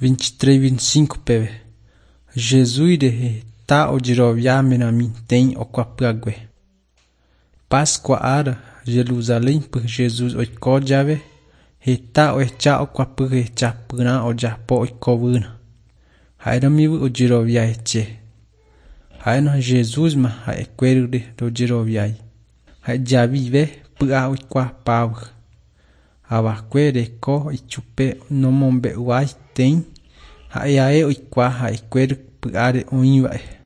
23, 25 peve. Jesús rehe heta ojerovia meramiteĩ okuapyague. Pascua ára Jerusalénpe Jesús oiko jave heta ohecha okuapy hechapyrã ojapo oikovýrã. Ha'éramive ojerovia hese. Ha'éna Jesúsma ha'ekuérare ndojeroviái. Ha'ejavive py'a oikuaapávy. Avakue reko ichupe nomombe'uaitei ha'eae oikuaa ha'ekuéra py'áre oĩva'e.